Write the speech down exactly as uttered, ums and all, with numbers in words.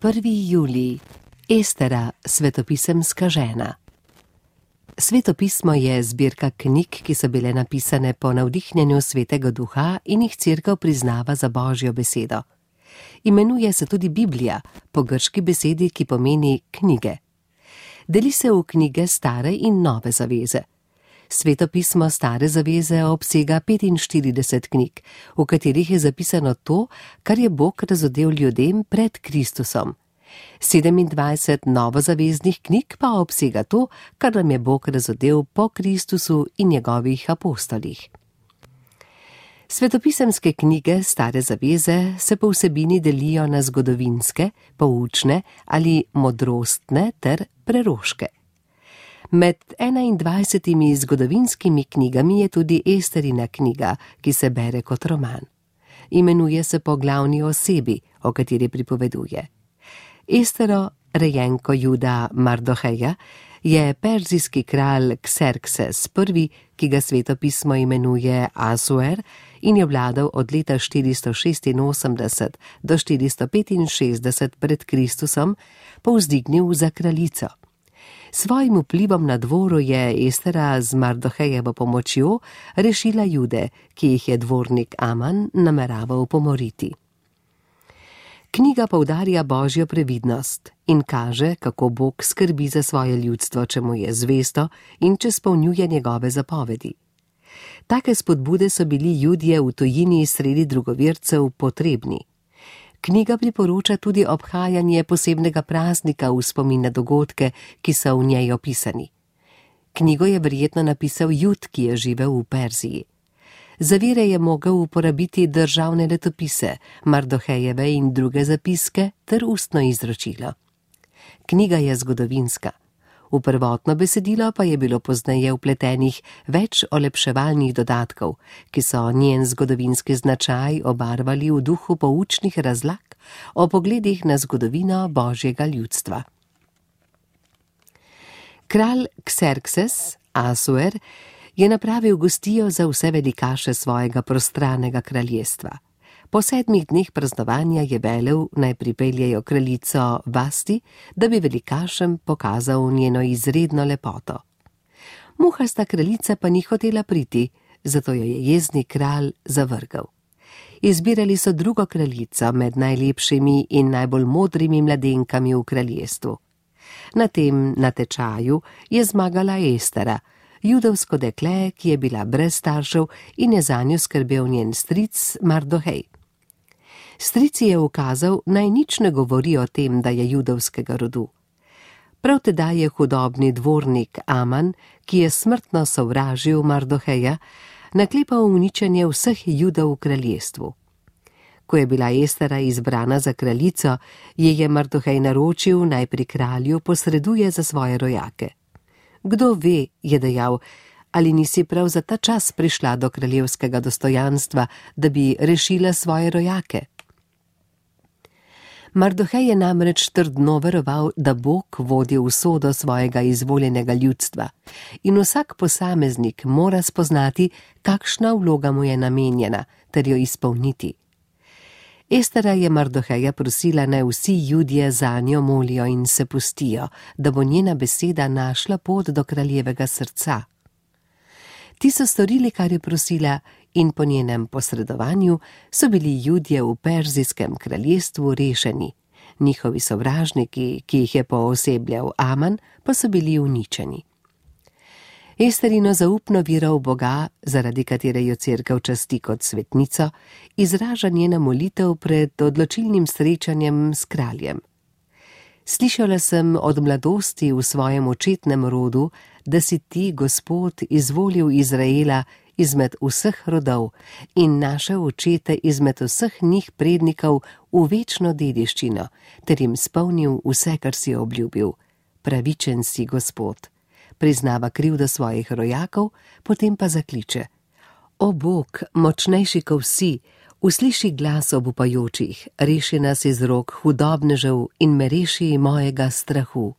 prvi julij, Estera, svetopisemska žena. Svetopismo je zbirka knjig, ki so bile napisane po navdihnjenju Svetega Duha in jih Cerkev priznava za Božjo besedo. Imenuje se tudi Biblija, po grški besedi, ki pomeni knjige. Deli se v knjige Stare in Nove zaveze. Svetopismo Stare zaveze obsega petinštirideset knjig, v katerih je zapisano to, kar je Bog razodel ljudem pred Kristusom. sedemindvajset novozaveznih knjig pa obsega to, kar nam je Bog razodel po Kristusu in njegovih apostolih. Svetopisemske knjige Stare zaveze se po vsebini delijo na zgodovinske, poučne ali modrostne ter preroške. Med enaindvajsetimi zgodovinskimi knjigami je tudi Esterina knjiga, ki se bere kot roman. Imenuje se po glavni osebi, o kateri pripoveduje. Estero, rejenko Juda Mardoheja, je perzijski kralj Kserkses prvi, ki ga svetopismo imenuje Asuer in je vladal od leta štiristo šestinosemdeset do štiristo petinšestdeset pred Kristusom, povzdignil za kraljico. Svojim vplivom na dvoru je Estera z Mardohejevo pomočjo rešila Jude, ki jih je dvornik Aman nameraval pomoriti. Knjiga poudarja Božjo previdnost in kaže, kako Bog skrbi za svoje ljudstvo, če mu je zvesto in če spolnjuje njegove zapovedi. Take spodbude so bili Judje v tujini sredi drugovercev potrebni. Knjiga priporoča tudi obhajanje posebnega praznika v spomin na dogodke, ki so v njej opisani. Knjigo je verjetno napisal Jud, ki je živel v Perziji. Za vire je mogel uporabiti državne letopise, Mardohejeve in druge zapiske ter ustno izročilo. Knjiga je zgodovinska. V prvotno besedilo pa je bilo pozneje vpletenih več olepševalnih dodatkov, ki so njen zgodovinski značaj obarvali v duhu poučnih razlag o pogledih na zgodovino Božjega ljudstva. Kralj Kserkses, Asuer, je napravil gostijo za vse velikaše svojega prostranega kraljestva. Po sedmih dneh praznovanja je velel, naj pripeljejo kraljico Vasti, da bi velikašem pokazal njeno izredno lepoto. Muhasta kraljica pa ni hotela priti, zato jo je jezni kralj zavrgel. Izbirali so drugo kraljico med najlepšimi in najbolj modrimi mladenkami v kraljestvu. Na tem natečaju je zmagala Estera, judovsko dekle, ki je bila brez staršev in je zanjo skrbel njen stric Mardohej. Stric je ukazal, naj nič ne govori o tem, da je judovskega rodu. Prav tedaj je hudobni dvornik Aman, ki je smrtno sovražil Mardoheja, naklepal uničenje vseh Judov v kraljestvu. Ko je bila Estera izbrana za kraljico, je je Mardohej naročil, naj pri kralju posreduje za svoje rojake. Kdo ve, je dejal, ali nisi prav za ta čas prišla do kraljevskega dostojanstva, da bi rešila svoje rojake? Mardohej je namreč trdno veroval, da Bog vodi usodo svojega izvoljenega ljudstva in vsak posameznik mora spoznati, kakšna vloga mu je namenjena, ter jo izpolniti. Estera je Mardoheja prosila, naj vsi Judje zanjo molijo in se pustijo, da bo njena beseda našla pot do kraljevega srca. Ti so storili, kar je prosila, in po njenem posredovanju so bili Judje v perzijskem kraljestvu rešeni. Njihovi sovražniki, ki jih je poosebljal Aman, pa so bili uničeni. Esterino zaupno vero v Boga, zaradi katere jo Cerkev časti kot svetnico, izraža njena molitev pred odločilnim srečanjem s kraljem. Slišala sem od mladosti v svojem očetnem rodu, da si ti, Gospod, izvolil Izraela izmed vseh rodov in naše očete izmed vseh njih prednikov v večno dediščino, ter jim spolnil vse, kar si obljubil. Pravičen si, Gospod. Priznava krivdo svojih rojakov, potem pa zakliče: O Bog, močnejši kot vsi, usliši glas obupajočih, reši nas iz rok hudobnežev in me reši mojega strahu.